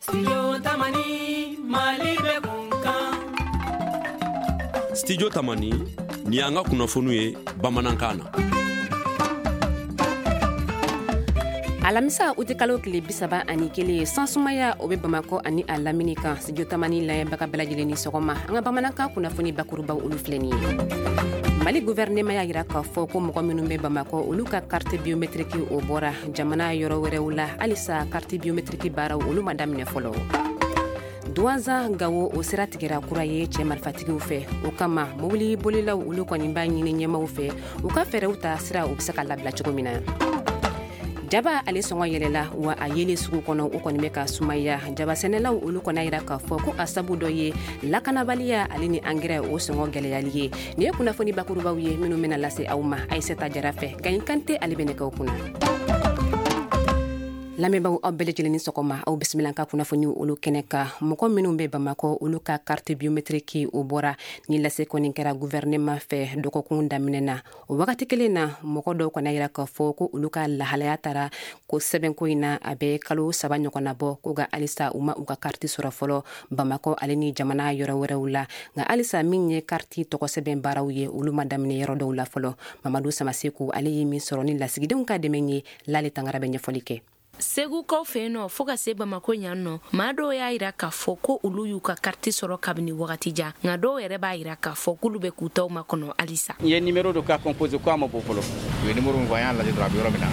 Studio Tamani, Mali bɛ kun kan. Studio Tamani, nin y'an ka kunnafoniw ye bamanankan na. Alamisa utikalo tile 31, sansumaya o bɛ Bamakɔ ani a lamini kan. Studio Tamani lamɛnbaga bɛɛ lajɛlen ni sɔgɔma. An ka bamanankan kunnafoni bakurubaw, olu filɛ nin ye. Mali gouvernement y'a yira k'a fɔ ko mɔgɔ minnu bɛ Bamakɔ, olu ka carte biométrique o bɔra. Jamana yɔrɔ wɛrɛw la, halisa carte biométrique baaraw, olu ma daminɛ fɔlɔ. Duwanza Gawo, o sira tigɛra kura ye cɛ marifatigiw fɛ. O kama, mobili bolilaw, olu kɔni b'a ɲini ɲɛmaw fɛ u ka fɛɛrɛw ta, sira u bɛ se ka labila cogo min na. Jaba, ale sɔngɔ yɛlɛla wa a yelen sugu kɔnɔ, o kɔni bɛ ka sumaya. Jaba sɛnɛlaw, olu kɔni yira k'a fɔ ko a sabu dɔ ye lakanabaliya ale ni angɛrɛ o sɔngɔ gɛlɛyali ye. Nin ye kunnafoni bakurubaw ye minnu bɛna lase aw ma Ayisata Jara fɛ. Gaɲi Kante, ale bɛ nɛgɛw kunna. Lamɛnbaaw, aw bɛɛ lajɛlen ni sɔgɔma. Aw bisimila ka kunnafoni olu kɛnɛ kan. Mɔgɔ minnu bɛ Bamakɔ, olu ka carte biométrique o bɔra. Ni lase kɔni kɛra gouvernement fɛ dɔgɔkun daminɛ na, o wagati kelen na, mɔgɔ dɔw kɔni yira k'a fɔ ko olu ka lahalaya taara ko sɛbɛnko in na, a bɛ kalo 3 ɲɔgɔnna bɔ ko, nka halisa u ma u ka carte sɔrɔ fɔlɔ Bamakɔ ale ni jamana yɔrɔ wɛrɛw la. Nka halisa, min ye carte tɔgɔ sɛbɛn baaraw ye, olu ma daminɛ yɔrɔ dɔw la fɔlɔ. Mamadu Samaseku, ale ye min sɔrɔ ni lasigidenw ka dɛmɛ ye. Lale Tangara bɛ ɲɛfɔli kɛ. Segukaw fɛ yen nɔ, fɔɔ ka se Bamako yan nɔ, maa dɔw y'a yira k'a fɔ ko olu y'u ka kariti sɔrɔ kabini wagati jan, nka dɔw yɛrɛ b'a yira k'a fɔ k'olu bɛ k'u taw makɔnɔ halisa. N ye numéro dɔ ka composé ko a ma bɔ fɔlɔ. U ye numéro min fɔ, an y'a lajɛ dɔrɔn, a bɛ yɔrɔ min na,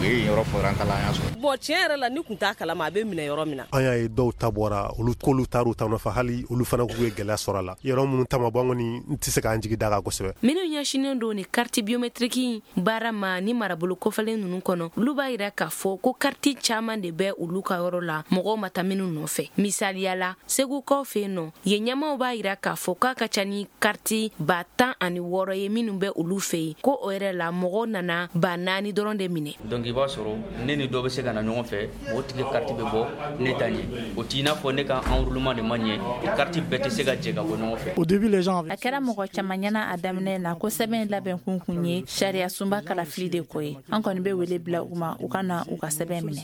u ye yɔrɔ fɔ, an taara, an y'a sɔrɔ. Bon, tiɲɛ yɛrɛ la, ni kun t'a kalama a bɛ minɛ yɔrɔ min na. An y'a ye dɔw ta bɔra, olu k'olu taar'u ta nɔfɛ, hali olu fana k'u ye gɛlɛya sɔrɔ a la. Yɔrɔ minnu ta ma bɔ, an kɔni n tɛ se k'an jigi da kan kosɛbɛ. Minnu ɲɛsinnen don ni kariti biométrique baara ma ni marabolo kɔfɛlen ninnu kɔnɔ, olu b'a yira k'a fɔ ko kariti caman de bɛ olu ka yɔrɔ la, mɔgɔw ma taa minnu nɔfɛ. Misaliya la, Segukaw fɛ yen nɔ, yen ɲɛmaw b'a yira k'a fɔ k'a ka ca ni kariti 16,000 ye minnu bɛ olu fɛ yen, ko o yɛrɛ la, mɔgɔw nana 4000 dɔrɔn de minɛ. Donc i b'a sɔrɔ ne ni dɔ bɛ se ka na ɲɔgɔn fɛ, o tigi kariti bɛ bɔ, ne ta ɲɛ. O t'i n'a fɔ ne ka enrôlement de ma ɲɛ, kariti bɛɛ tɛ se ka jɛ ka bɔ ɲɔgɔn fɛ. Au début, les gens A kɛra mɔgɔ caman ɲɛna a daminɛ na ko sɛbɛn labɛn kun kun ye sariya sunba kalafili de ko ye. An kɔni bɛ wele bila u ma, u ka na u ka sɛbɛn minɛ.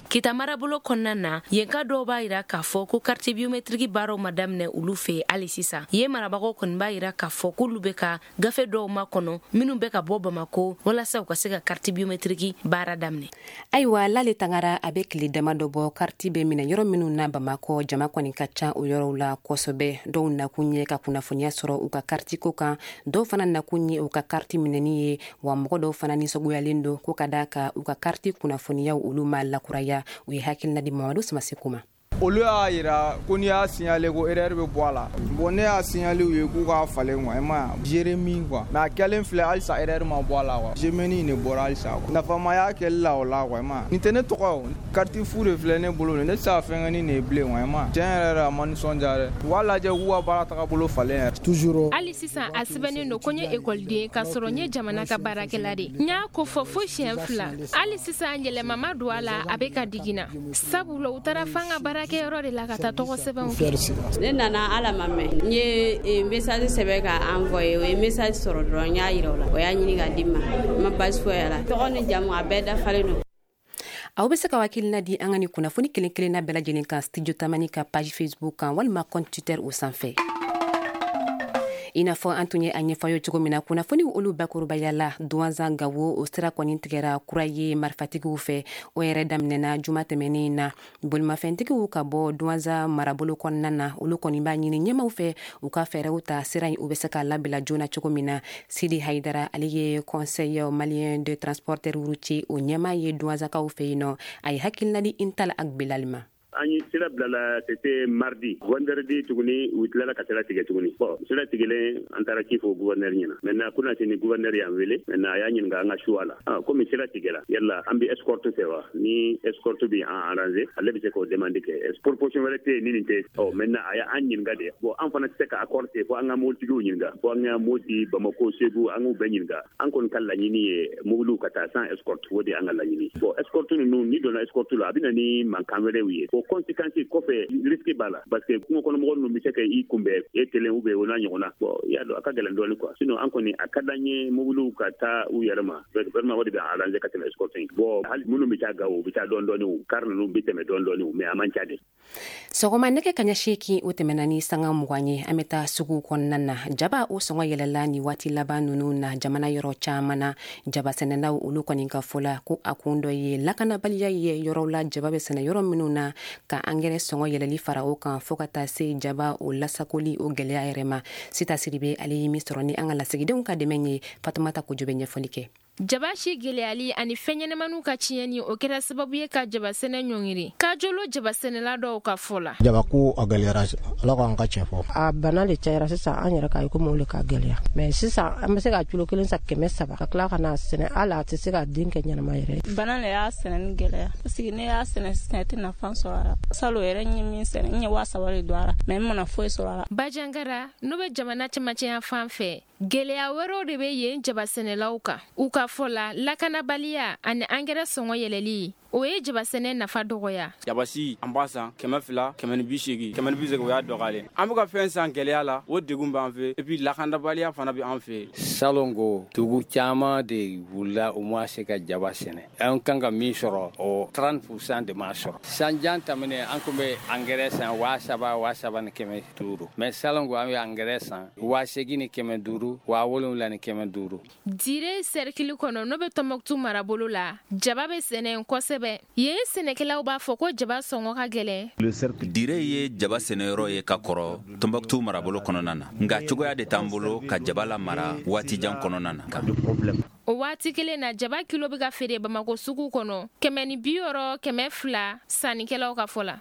Kita marabolo kɔnɔna na, yen ka dɔw b'a yira k'a fɔ ko kariti biométrique baaraw ma daminɛ olu fɛ yen hali sisan. Yen marabagaw kɔni b'a yira k'a fɔ k'olu bɛ ka gafe dɔw makɔnɔ minnu bɛ ka bɔ Bamako, walasa u ka se ka kariti biométrique baara daminɛ. Ayiwa, Lale Tangara, a bɛ tile dama dɔ bɔ, kariti bɛ minɛ yɔrɔ minnu na Bamakɔ, jama kɔni ka ca o yɔrɔw la kosɛbɛ. Dɔw nakun ye ka kunnafoniya sɔrɔ u ka kariti ko kan, dɔw fana nakun ye u ka kariti minɛni ye. Wa mɔgɔ dɔw fana nisɔngoyalen don ko ka da kan u ka kariti kunnafoniyaw, olu ma lakuraya. U ye hakilina di Mamadu Samaseku ma. Olu y'a yira ko n'i y'a signalé, ko erreur bɛ bɔ a la. Bon, ne y'a signalé u ye k'u k'a falen quoi, i ma ye, Jérémie quoi. Mais a kɛlen filɛ, halisa erreur ma bɔ a la quoi, Jérémie de bɔra halisa quoi. Nafama y'a kɛli la o la quoi, i ma ye. Nin tɛ ne tɔgɔ ye o, carte fu de filɛ ne bolo, ne tɛ se ka fɛn kɛ ni nin ye bilen quoi, i ma ye. Tiɲɛ yɛrɛ yɛrɛ, a ma nisɔndiya dɛ. U b'a lajɛ k'u ka baara tagabolo falen yɛrɛ. Toujours. Hali sisan, a sɛbɛnnen don ko n ye ekɔliden, k'a sɔrɔ n ye jamana ka baarakɛla de. N y'a ko fɔ fo siɲɛ fila, hali sisan yɛlɛma ma don a la. A bɛ ka digi na, sabula u taara f'an ka baarakɛyɔrɔ de la ka taa tɔgɔ sɛbɛnw kɛ. Ne nana ala ma mɛn, n ye message sɛbɛn ka envoyer. O ye message sɔrɔ dɔrɔn, n y'a yira o la, o y'a ɲini ka di n ma. N ma basi foyi a la, tɔgɔ ni jamu, a bɛɛ dafalen don. Aw bɛ se ka hakilina di an ka nin kunnafoni kelen kelenna bɛɛ lajɛlen kan Studio Tamani ka page Facebook kan walima compte Twitter o sanfɛ. I n'a fɔ an tun ye a ɲɛfɔ ye cogo min na kunnafoni olu bakurubaya la, Duwanzan Gawo, o sira kɔni tigɛra kura ye marifatigiw fɛ. O yɛrɛ daminɛna juma tɛmɛnen na. Bolimafɛntigiw ka bɔ Duwanza marabolo kɔnɔna na, olu kɔni b'a ɲini ɲɛmaw fɛ u ka fɛɛrɛw ta, sira in u bɛ se ka labila joona cogo min na. Sidi Hayidara, ale ye Conseil malien de transporteur routier o ɲɛmaa ye Duwanzakaw fɛ yen nɔ. A ye hakilina di Intal Ag Bilal ma. An ye sira bilala, c'était mardi. Vendredi tuguni, u tilala ka sira tigɛ tuguni. Bon, sira tigɛlen, an taara ci fɔ gouverneur ɲɛna. Maintenant, kunasini, gouverneur y'an wele. Maintenant, a y'a ɲininka an ka choix la. Ah, komi sira tigɛla, yala an bɛ escorte fɛ wa? Ni escorte bɛ an arranger, ale bɛ se k'o demande kɛ. Proposition wɛrɛ tɛ yen ni nin tɛ. Ɔ, maintenant, a y'an ɲininka de. Bon, an fana tɛ se ka accord kɛ fo an ka mobilitigiw ɲininka, fo an ka Moti, Bamako, Segu, an k'u bɛɛ ɲininka. An kɔni ka laɲini ye mobiliw ka taa sans escorte, o de y'an ka laɲini. Bon, escorte ninnu, ni donna escorte la, a bɛ na ni mankan wɛrɛw ye. conséquence kɔfɛ, risque b'a la, parce que kungo kɔnɔ mɔgɔ ninnu bɛ se ka i kunbɛn e kelen ou bien o n'a ɲɔgɔnna. Bon, i y'a dɔn, a ka gɛlɛn dɔɔni quoi. Sinon an kɔni, a ka d'an ye mobiliw ka taa u yɛrɛ ma, vraiment, o de bɛ arranger ka tɛmɛ escorte in. Bon, hali minnu bɛ taa Gawo, u bɛ taa dɔɔni dɔɔni, o car ninnu bɛ tɛmɛ dɔɔni dɔɔni, mais a man ca de. Sɔgɔma nɛgɛ kaɲa 8, o tɛmɛna ni sanga 20 ye. An bɛ taa sugu kɔnɔna na. Jaba o sɔngɔ yɛlɛla ni waati laban ninnu na jamana yɔrɔ caman na. Jaba sɛnɛlaw, olu kɔni ka fɔ la ko a kun dɔ ye lakanabaliya ye yɔrɔw la jaba bɛ sɛnɛ yɔrɔ minnu na, ka angɛrɛ sɔngɔ yɛlɛli fara o kan, fɔɔ ka taa se jaba o lasakoli o gɛlɛya yɛrɛ ma. Sita Siribe, ale ye min sɔrɔ ni an ka lasigidenw ka dɛmɛ ye, Fatumata Kojo bɛ ɲɛfɔli kɛ. Jaba si gɛlɛyali ani fɛn ɲɛnamaniw ka tiɲɛni, o kɛra sababu ye ka jabasɛnɛ ɲɔngiri Kajolo jabasɛnɛla dɔw ka fɔ la. Jabako a gɛlɛyara, Ala k'an ka tiɲɛ fɔ. A bana le cayara sisan, an yɛrɛ k'a ye komi o le ka gɛlɛya, mais sisan an bɛ se ka kilo kelen san 300, ka tila ka na sɛnɛ, hali a tɛ se ka den kɛ ɲɛnama yɛrɛ. Bana le y'a sɛnɛni gɛlɛya, parce que ne y'a sɛnɛ sisan, i tɛ nafa sɔrɔ a la. Salon yɛrɛ, n ye min sɛnɛ, n ye 3000 de don a la, mais n mana foyi sɔrɔ a la. Bajangara, n'o bɛ jamana cɛmancɛya fan fɛ, gɛlɛya wɛrɛw de bɛ yen jabasɛnɛlaw kan. U ka fɔ la, lakanabaliya ani angɛrɛ sɔngɔ yɛlɛli, o ye jabasɛnɛ nafa dɔgɔya. Jabasi, an b'a san 200, 180, 180, o y'a dɔgɔyalen. An bɛ ka fɛn san gɛlɛya la, o degun b'an fɛ, et puis lakanabaliya fana bɛ an fɛ. Salon ko dugu caman de wulila, u ma se ka jaba sɛnɛ. An kan ka min sɔrɔ, o 30% de m'a sɔrɔ. Sanjan tɛmɛnen, an tun bɛ angɛrɛ san 3000, 3500, mais salon ko an bɛ angɛrɛ san 8500, 7500. Dire sɛrikili kɔnɔ, n'o bɛ Tɔnbɔkutu marabolo la, jaba bɛ sɛnɛ kosɛbɛ. Yen sɛnɛkɛlaw b'a fɔ ko jaba sɔngɔ ka gɛlɛn. Dire ye jaba sɛnɛyɔrɔ ye ka kɔrɔ Tɔnbɔkutu marabolo kɔnɔna na, nka cogoya de t'an bolo ka jaba la mara waatijan kɔnɔna na. O waati kelen na, jaba kilo bɛ ka feere Bamako sugu kɔnɔ 160, 200, sannikɛlaw ka fɔ la.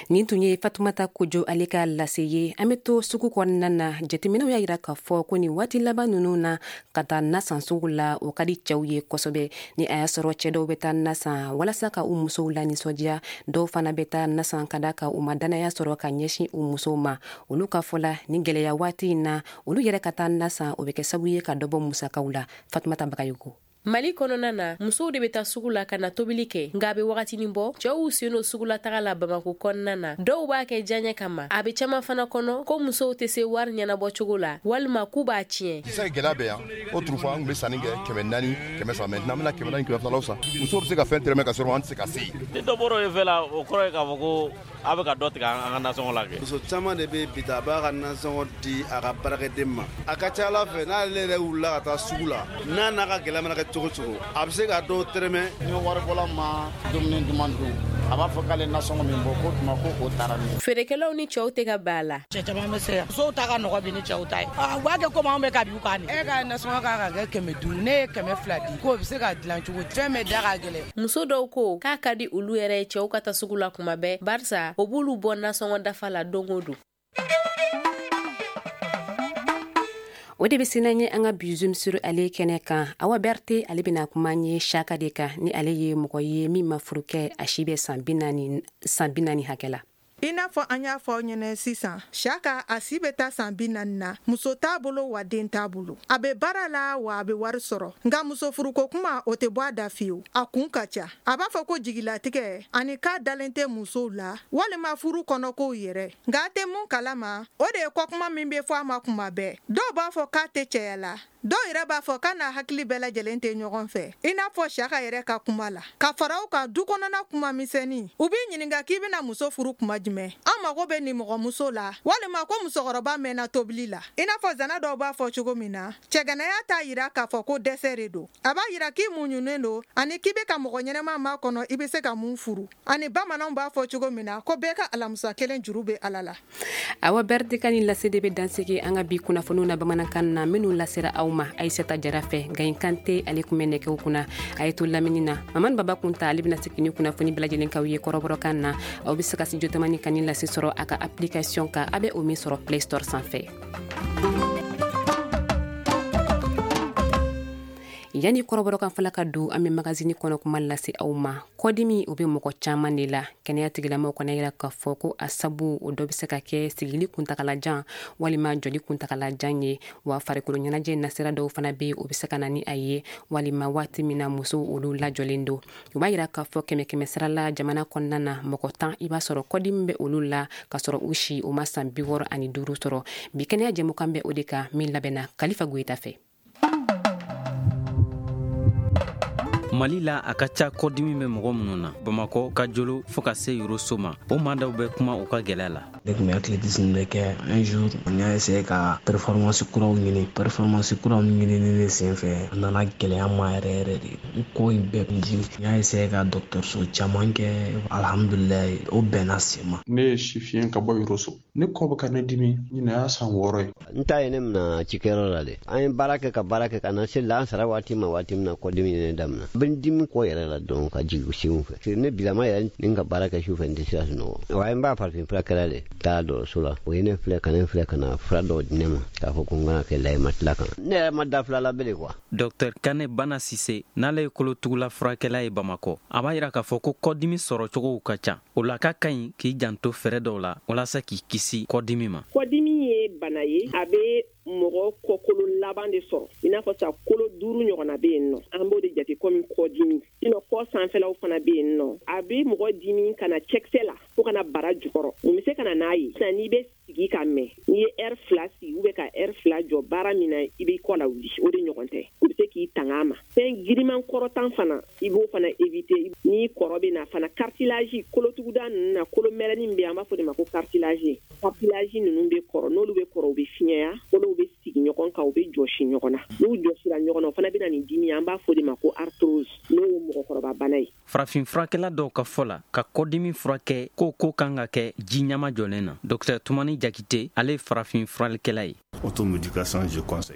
Nin tun ye Fatumata Kojo, ale ka lase ye. An bɛ to sugu kɔnɔna na. Jateminɛw y'a yira k'a fɔ ko nin waati laban ninnu na, ka taa nasan sugu la, o ka di cɛw ye kosɛbɛ. Ni a y'a sɔrɔ cɛɛ dɔw bɛ taa nasan walasa ka u musow la nisɔndiya, dɔw fana bɛ taa nasan ka da ka u ma dannaya sɔrɔ ka ɲɛsin u musow ma. Olu ka fɔ la, ni gɛlɛya waati in na, olu yɛrɛ ka taa nasan, o bɛ kɛ sababu ye ka dɔ bɔ musakaw la. Fatumata Bagayogo. Mali kɔnɔna na, musow de bɛ taa sugu la ka na tobili kɛ, nka a bɛ wagatinin bɔ, cɛw y'u sen don sugula taga la Bamako kɔnɔna na. Dɔw b'a kɛ diyaɲɛ kama, a bɛ caman fana kɔnɔ ko musow tɛ se wari ɲɛnabɔ cogo la, walima k'u b'a tiɲɛ. Sisan gɛlɛya bɛ yan. Autrefois, an tun bɛ sanni kɛ 400, 300. Maintenant, an bɛna 400, 200 law san. Musow bɛ se ka fɛn tɛrɛmɛ ka sɔrɔ an tɛ se ka se yen. Ni dɔ bɔra o fɛ la, o kɔrɔ ye k'a fɔ ko a bɛ ka dɔ tigɛ an ka nasɔngɔ la kɛ. Muso caman de bɛ bi ta, a b'a ka nasɔngɔ di a ka baarakɛden ma. A ka ca Ala fɛ, n'ale yɛrɛ wulila ka taa sugu la, n'a n'a ka gɛlɛya mana kɛ cogo cogo, a bɛ se ka dɔw tɛrɛmɛ. Ni waribɔla ma dumuni duman dun, a b'a fɔ k'ale nasɔngɔ min bɔ k'o tuma ko o taara min. Feerekɛlaw ni cɛw tɛ ka bɛn a la. Cɛ caman bɛ se yan, musow ta ka nɔgɔ bi ni cɛw ta ye. U b'a kɛ komi anw bɛ ka bi u kan. E ka nasɔngɔ kan ka kɛ 500, ne ye 200 di, k'o bɛ se ka dilan cogo di? Fɛn bɛɛ da ka gɛlɛn. Muso dɔw ko k'a ka di olu yɛrɛ ye cɛw ka taa sugu la kuma bɛɛ, barisa o b'olu bɔ nasɔngɔ dafa la don o don. O de bɛ se n'an ye an ka bi Zoom sur ale kɛnɛ kan. Awa Berte, ale bɛna kuma an ye Saka de kan, ni ale ye mɔgɔ ye min ma furu kɛ, a si bɛ san 40, san 40 hakɛ la. I n'a fɔ an y'a fɔ aw ɲɛnɛ sisan, Saka, a si bɛ taa san 40 na, muso t'a bolo wa den t'a bolo. A bɛ baara la wa a bɛ wari sɔrɔ, nka muso furuko kuma, o tɛ bɔ a da fiyewu. A kun ka ca. A b'a fɔ ko jigilatigɛ ani k'a dalen tɛ musow la walima furu kɔnɔkow yɛrɛ. Nka a tɛ mun kalama, o de ye kɔkuma min bɛ fɔ a ma kuma bɛɛ. Dɔw b'a fɔ k'a tɛ cɛya la, dɔw yɛrɛ b'a fɔ k'a n'a hakili bɛɛ lajɛlen tɛ ɲɔgɔn fɛ, i n'a fɔ Saka yɛrɛ ka kuma la. Ka fara o kan, du kɔnɔna kuma misɛnnin, u b'i ɲininka k'i bɛna muso furu kuma jumɛn, an mago bɛ nin mɔgɔmuso la, walima ko musokɔrɔba mɛnna tobili la. I n'a fɔ zana dɔw b'a fɔ cogo min na, cɛganaya t'a yira k'a fɔ ko dɛsɛ de don. A b'a yira k'i muɲunen don ani k'i bɛ ka mɔgɔ ɲɛnɛma ma kɔnɔ, i bɛ se ka mun furu. Ani bamananw b'a fɔ cogo min na ko bɛɛ ka alamusa kelen juru bɛ Ala la. Awa Bɛrite ka nin lase de bɛ dansigi an ka bi kunnafoniw na bamanankan na, minnu lasera aw ma Ayisata Jara fɛ. Gayin Kante, ale kun bɛ nɛgɛw kunna. A ye to lamini na, Mamani Baba Kunta, ale bɛna segin ni kunnafoni bɛɛ lajɛlen k'aw ye kɔrɔbɔrɔkan na. Aw bɛ se ka studio Tamani ka nin lase sɔrɔ a ka application kan, a bɛ o min sɔrɔ Play Store sanfɛ. Yanni kɔrɔbɔrɔkan fɔla ka don, an bɛ magazine kɔnɔ kuma lase aw ma. Kɔdimi, o bɛ mɔgɔ caman de la. Kɛnɛya tigilamɔgɔw kɔni yira k'a fɔ ko a sabu o dɔ bɛ se ka kɛ sigili kuntagalajan walima jɔli kuntagalajan ye. Wa farikolo ɲɛnajɛ nasira dɔw fana bɛ yen, o bɛ se ka na ni a ye, walima waati min na musow olu lajɔlen don. U b'a yira k'a fɔ kɛmɛ kɛmɛ sara la, jamana kɔnɔna na, mɔgɔ 10, i b'a sɔrɔ kɔdimi bɛ olu la k'a sɔrɔ u si u ma san 65 sɔrɔ. Bi kɛnɛya jɛmukan bɛ o de kan, min labɛnna Kalifa Goyita fɛ. Mali la, a ka ca kɔdimi bɛ mɔgɔ minnu na, Bamakɔ ka jolo fɔɔ ka se Yoroso ma, o maa dɔw bɛ kuma u ka gwɛlɛya la. Ne tun bɛ athlétisme de kɛ. Un jour, n y'a essayé ka performance kuraw ɲini. Performance kuraw ɲinini de senfɛ, a nana gɛlɛya ma yɛrɛ yɛrɛ de. N kɔ in bɛɛ kun dimi. N y'a essayé ka dɔgɔtɔrɔso caman kɛ, alhamdulilayi, o bɛnna sen ma. Ne ye sifiyɛn ka bɔ Yoroso. Ne kɔ bɛ ka ne dimi, ɲinɛ y'a san 6 ye. N ta ye ne mina cikɛyɔrɔ la de. An ye baara kɛ ka baara kɛ ka na se lansara waati ma, waati min na kɔdimi ye ne damina. N bɛ n dimi kɔ yɛrɛ la dɔn ka jigin senw fɛ. Ne bilama yɛrɛ ni n ka baara kɛ su fɛ, n tɛ se ka sunɔgɔ. Wa n b'a farafin furakɛla de taa dɔgɔtɔrɔso la. O ye ne filɛ ka ne filɛ ka na fura dɔw di ne ma k'a fɔ ko n kana kɛ layi ma tila kan. Ne yɛrɛ ma da fila la bele kuwa. Dɔktɛr Kane Bana Sise, n'ale ye kolotugula furakɛla ye Bamakɔ, a b'a yira k'a fɔ ko kɔdimi sɔrɔcogow ka ca. O la ka ka ɲi k'i janto fɛɛrɛ dɔw la walasa k'i kisi kɔdimi ma. Kɔdimi ye bana ye, a bɛ mɔgɔ kɔkolo laban de sɔrɔ. I n'a fɔ sa kolo 5 ɲɔgɔnna bɛ yen nɔ, an b'o de jate komi kɔdimi. Sinon kɔ sanfɛlaw fana bɛ yen nɔ, a bɛ mɔgɔ dimi ka na cɛkisɛ la fo ka na bara jukɔrɔ. Mun bɛ se ka na n'a ye? Sisan n'i bɛ sigi ka mɛn, n'i ye heure 2 sigi ou bien ka heure 2 jɔ baara min na, i b'i kɔ lawuli, o de ɲɔgɔn tɛ. O bɛ se k'i tanga a ma. Fɛn giriman kɔrɔtan fana, i b'o fana éviter. Ni kɔrɔ bɛ na fana, cartilage kolotuguda ninnu na, kolo mɛrɛnin bɛ yen, an b'a fɔ de ma ko cartilage. Cartilage ninnu bɛ kɔrɔ, n'olu bɛ kɔrɔ, u bɛ fiɲɛya, kolow bɛ sigi ɲɔgɔn kan, u bɛ jɔsi ɲɔgɔn na. N'u jɔsira ɲɔgɔn na, o fana bɛ na ni dimi ye, an b'a fɔ de ma ko arthrose, n'o ye mɔgɔkɔrɔba bana ye. Farafin furakɛla dɔw ka fɔ la, ka kɔdimi furakɛ ko kan ka kɛ ji ɲama jɔlen na. Dɔktɛr Tumani Jakite, ale ye farafin furalikɛla ye.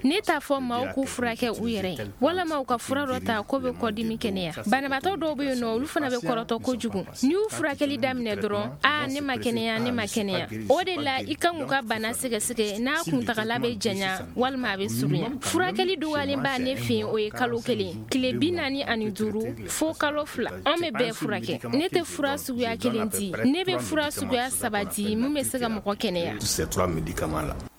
Ne t'a fɔ maaw k'u furakɛ u yɛrɛ ye walama u ka fura dɔ ta ko bɛ kɔdimi kɛnɛya. Banabaatɔ dɔw bɛ yen nɔ, olu fana bɛ kɔrɔtɔ kojugu. N'i y'u furakɛli daminɛ dɔrɔn, a ne ma kɛnɛya, ne ma kɛnɛya. O de la i kan k'u ka bana sɛgɛsɛgɛ n'a kuntagala bɛ janya walima a bɛ surunya. Furakɛli dɔgɔyalen b'a ne fɛ yen, o ye kalo 1, tile 45 fo kalo 2. An bɛ bɛɛ furakɛ. Ne tɛ fura suguya 1 di, ne bɛ fura suguya 3 di min bɛ se ka mɔgɔ kɛnɛya.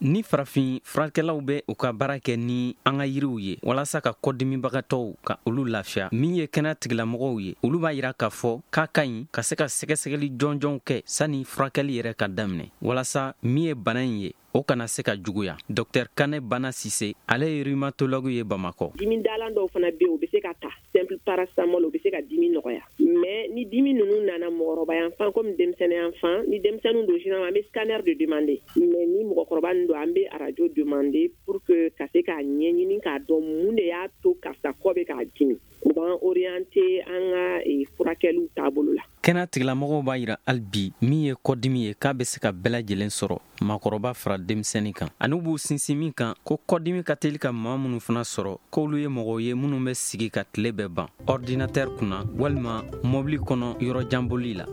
Ni farafin furakɛlaw bɛ u ka baara kɛ ni an ka yiriw ye walasa ka kɔdimibagatɔw ka olu lafiya, min ye kɛnɛya tigilamɔgɔw ye, olu b'a yira k'a fɔ k'a ka ɲi ka se ka sɛgɛsɛgɛli jɔnjɔnw kɛ sani furakɛli yɛrɛ ka daminɛ, walasa min ye bana in ye, o kana se ka juguya. Dɔktɛr Kane Bana Sise, ale ye rhumatologue ye Bamakɔ. Dimidalan dɔw fana bɛ yen, o bɛ se ka ta, simple paracétamol, o bɛ se ka dimi nɔgɔya. Mais ni dimi ninnu nana mɔgɔkɔrɔba yan fan komi denmisɛnnin yan fan, ni denmisɛnninw don, généralement an bɛ scanner de demander. Mais ni mɔgɔkɔrɔba ninnu don, an bɛ radio demander pour que ka se k'a ɲɛɲini k'a dɔn mun de y'a to karisa kɔ bɛ k'a dimi. U b'an orienter an ka furakɛliw taabolo la. Kɛnɛya tigilamɔgɔw b'a yira hali bi, min ye kɔdimi ye, k'a bɛ se ka bɛɛ lajɛlen sɔrɔ, maakɔrɔba fara denmisɛnnin kan. Ani u b'u sinsin min kan ko kɔdimi ka teli ka maa minnu fana sɔrɔ, k'olu ye mɔgɔw ye minnu bɛ sigi ka tile bɛɛ ban ordinateur kunna walima mɔbili kɔnɔ yɔrɔ janboli la.